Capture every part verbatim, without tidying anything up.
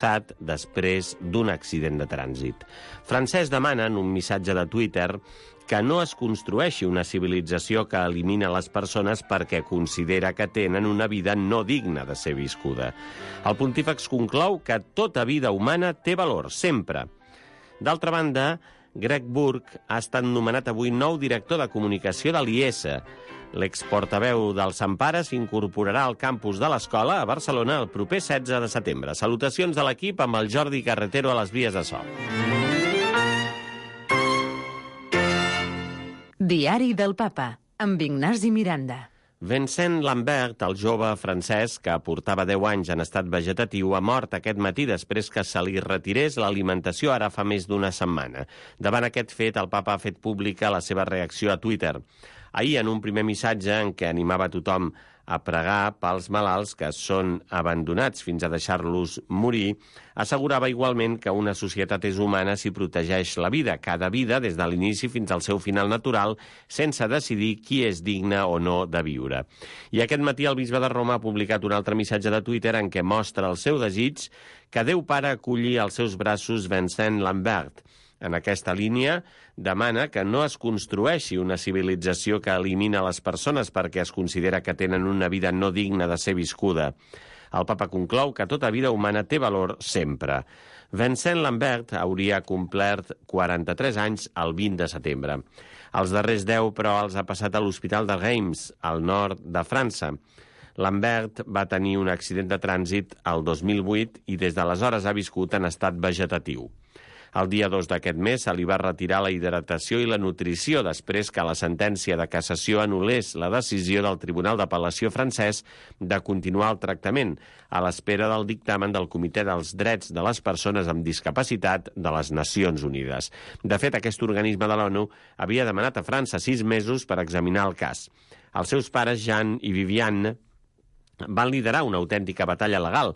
després d'un accident de trànsit. Francesc demana en un missatge de Twitter que no es construeixi una civilització que elimina les persones perquè considera que tenen una vida no digna de ser viscuda. El pontífex conclou que tota vida humana té valor, sempre. D'altra banda, Greg Burke ha estat nomenat avui nou director de comunicació de l'I E S E. L'exportaveu del Sant Pare s'incorporarà al campus de l'escola a Barcelona el proper setze de setembre. Salutacions de l'equip amb el Jordi Carretero a les vies de so. Diari del Papa, amb Ignasi Miranda. Vincent Lambert, el jove francès que portava deu anys en estat vegetatiu, ha mort aquest matí després que se li retirés l'alimentació ara fa més d'una setmana. Davant aquest fet, el papa ha fet pública la seva reacció a Twitter. Ahir, en un primer missatge en què animava tothom a pregar pels malalts que són abandonats fins a deixar-los morir, assegurava igualment que una societat és humana si protegeix la vida, cada vida, des de l'inici fins al seu final natural, sense decidir qui és digne o no de viure. I aquest matí el bisbe de Roma ha publicat un altre missatge de Twitter en què mostra el seu desig que Déu Pare aculli als seus braços Vincent Lambert. En aquesta línia, demana que no es construeixi una civilització que elimina les persones perquè es considera que tenen una vida no digna de ser viscuda. El papa conclou que tota vida humana té valor sempre. Vincent Lambert hauria complert quaranta-tres anys el vint de setembre. Els darrers deu, però, els ha passat a l'hospital de Reims, al nord de França. Lambert va tenir un accident de trànsit el dos mil vuit i des d'aleshores ha viscut en estat vegetatiu. El dia dos d'aquest mes se li va retirar la hidratació i la nutrició després que la sentència de cassació anul·lés la decisió del Tribunal d'Apel·lació francès de continuar el tractament a l'espera del dictamen del Comitè dels Drets de les Persones amb Discapacitat de les Nacions Unides. De fet, aquest organisme de l'ONU havia demanat a França sis mesos per examinar el cas. Els seus pares, Jean i Viviane, van liderar una autèntica batalla legal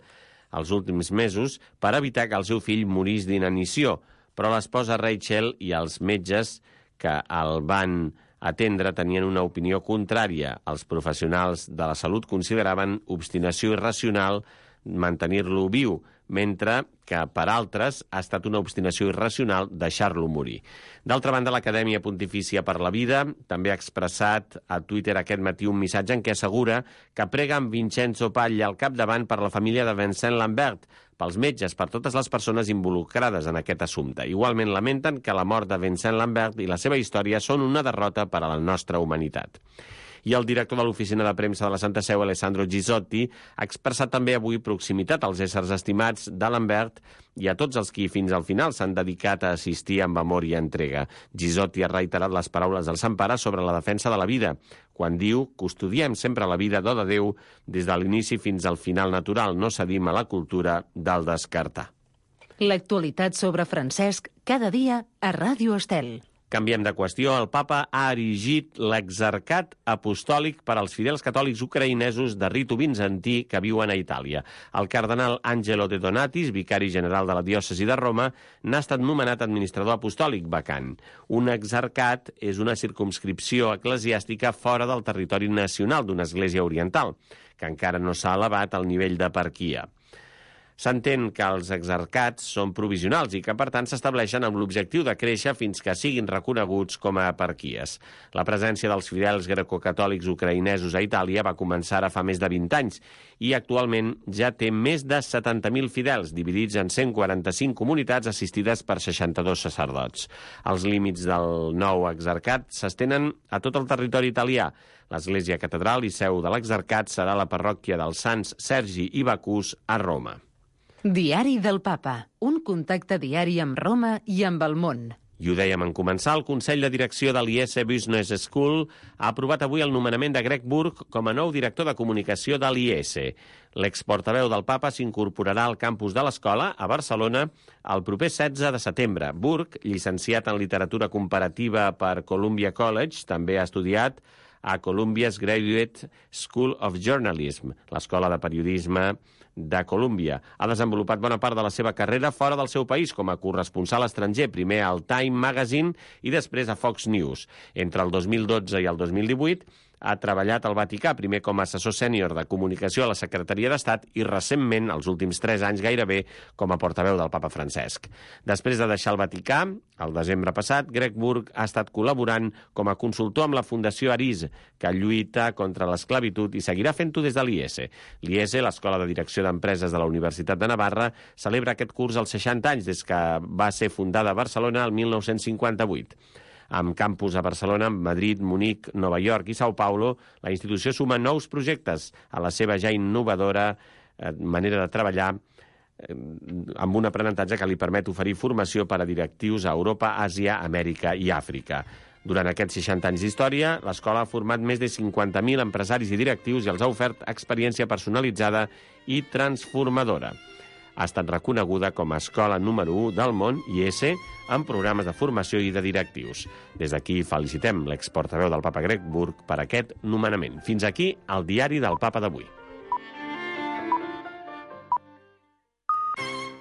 els últims mesos per evitar que el seu fill morís d'inanició, però l'esposa Rachel i els metges que el van atendre tenien una opinió contrària. Els professionals de la salut consideraven obstinació irracional mantenir-lo viu, mentre que per altres ha estat una obstinació irracional deixar-lo morir. D'altra banda, l'Acadèmia Pontifícia per la Vida també ha expressat a Twitter aquest matí un missatge en què assegura que prega amb Vincenzo Paglia al capdavant per la família de Vincent Lambert, pels metges, per totes les persones involucrades en aquest assumpte. Igualment lamenten que la mort de Vincent Lambert i la seva història són una derrota per a la nostra humanitat. I el director de l'Oficina de Premsa de la Santa Seu, Alessandro Gisotti, ha expressat també avui proximitat als éssers estimats de Lambert i a tots els qui fins al final s'han dedicat a assistir amb amor i entrega. Gisotti ha reiterat les paraules del Sant Pare sobre la defensa de la vida, quan diu: custodiem sempre la vida do de Déu des de l'inici fins al final natural, no cedim a la cultura del descartar. L'actualitat sobre Francesc cada dia a Ràdio Estel. Canviem de qüestió. El papa ha erigit l'exarcat apostòlic per als fidels catòlics ucraïnesos de ritu bizantí que viuen a Itàlia. El cardenal Angelo De Donatis, vicari general de la diòcesi de Roma, n'ha estat nomenat administrador apostòlic vacant. Un exarcat és una circumscripció eclesiàstica fora del territori nacional d'una església oriental, que encara no s'ha elevat al nivell d'eparquia. S'entén que els exarcats són provisionals i que, per tant, s'estableixen amb l'objectiu de créixer fins que siguin reconeguts com a eparquies. La presència dels fidels grecocatòlics ucraïnesos a Itàlia va començar ara fa més de vint anys i actualment ja té més de setanta mil fidels, dividits en cent quaranta-cinc comunitats assistides per seixanta-dos sacerdots. Els límits del nou exarcat s'estenen a tot el territori italià. L'església catedral i seu de l'exarcat serà la parròquia dels Sants Sergi i Bacús a Roma. Diari del Papa, un contacte diari amb Roma i amb el món. I ho dèiem en començar, el Consell de Direcció de l'I E S E Business School ha aprovat avui el nomenament de Greg Burke com a nou director de comunicació de l'I E S E. L'exportaveu del papa s'incorporarà al campus de l'escola, a Barcelona, el proper setze de setembre. Burke, llicenciat en literatura comparativa per Columbia College, també ha estudiat a Columbia's Graduate School of Journalism, l'escola de periodisme de Colúmbia. Ha desenvolupat bona part de la seva carrera fora del seu país com a corresponsal estranger, primer al Time Magazine i després a Fox News. Entre el dos mil dotze i el dos mil divuit ha treballat al Vaticà, primer com a assessor sènior de comunicació a la Secretaria d'Estat i recentment, els últims tres anys gairebé, com a portaveu del papa Francesc. Després de deixar el Vaticà, el desembre passat, Greg Burke ha estat col·laborant com a consultor amb la Fundació Aris, que lluita contra l'esclavitud i seguirà fent-ho des de l'I E S E. L'I E S E, l'Escola de Direcció d'Empreses de la Universitat de Navarra, celebra aquest curs als seixanta anys des que va ser fundada a Barcelona el mil nou-cents cinquanta-vuit. Amb campus a Barcelona, Madrid, Munic, Nova York i São Paulo, la institució suma nous projectes a la seva ja innovadora eh, manera de treballar eh, amb un aprenentatge que li permet oferir formació per a directius a Europa, Àsia, Amèrica i Àfrica. Durant aquests seixanta anys d'història, l'escola ha format més de cinquanta mil empresaris i directius i els ha ofert experiència personalitzada i transformadora. Ha estat reconeguda com a escola número u del món, I E S E, en programes de formació i de directius. Des d'aquí felicitem l'exportaveu del papa Greg Burke per aquest nomenament. Fins aquí el diari del papa d'avui.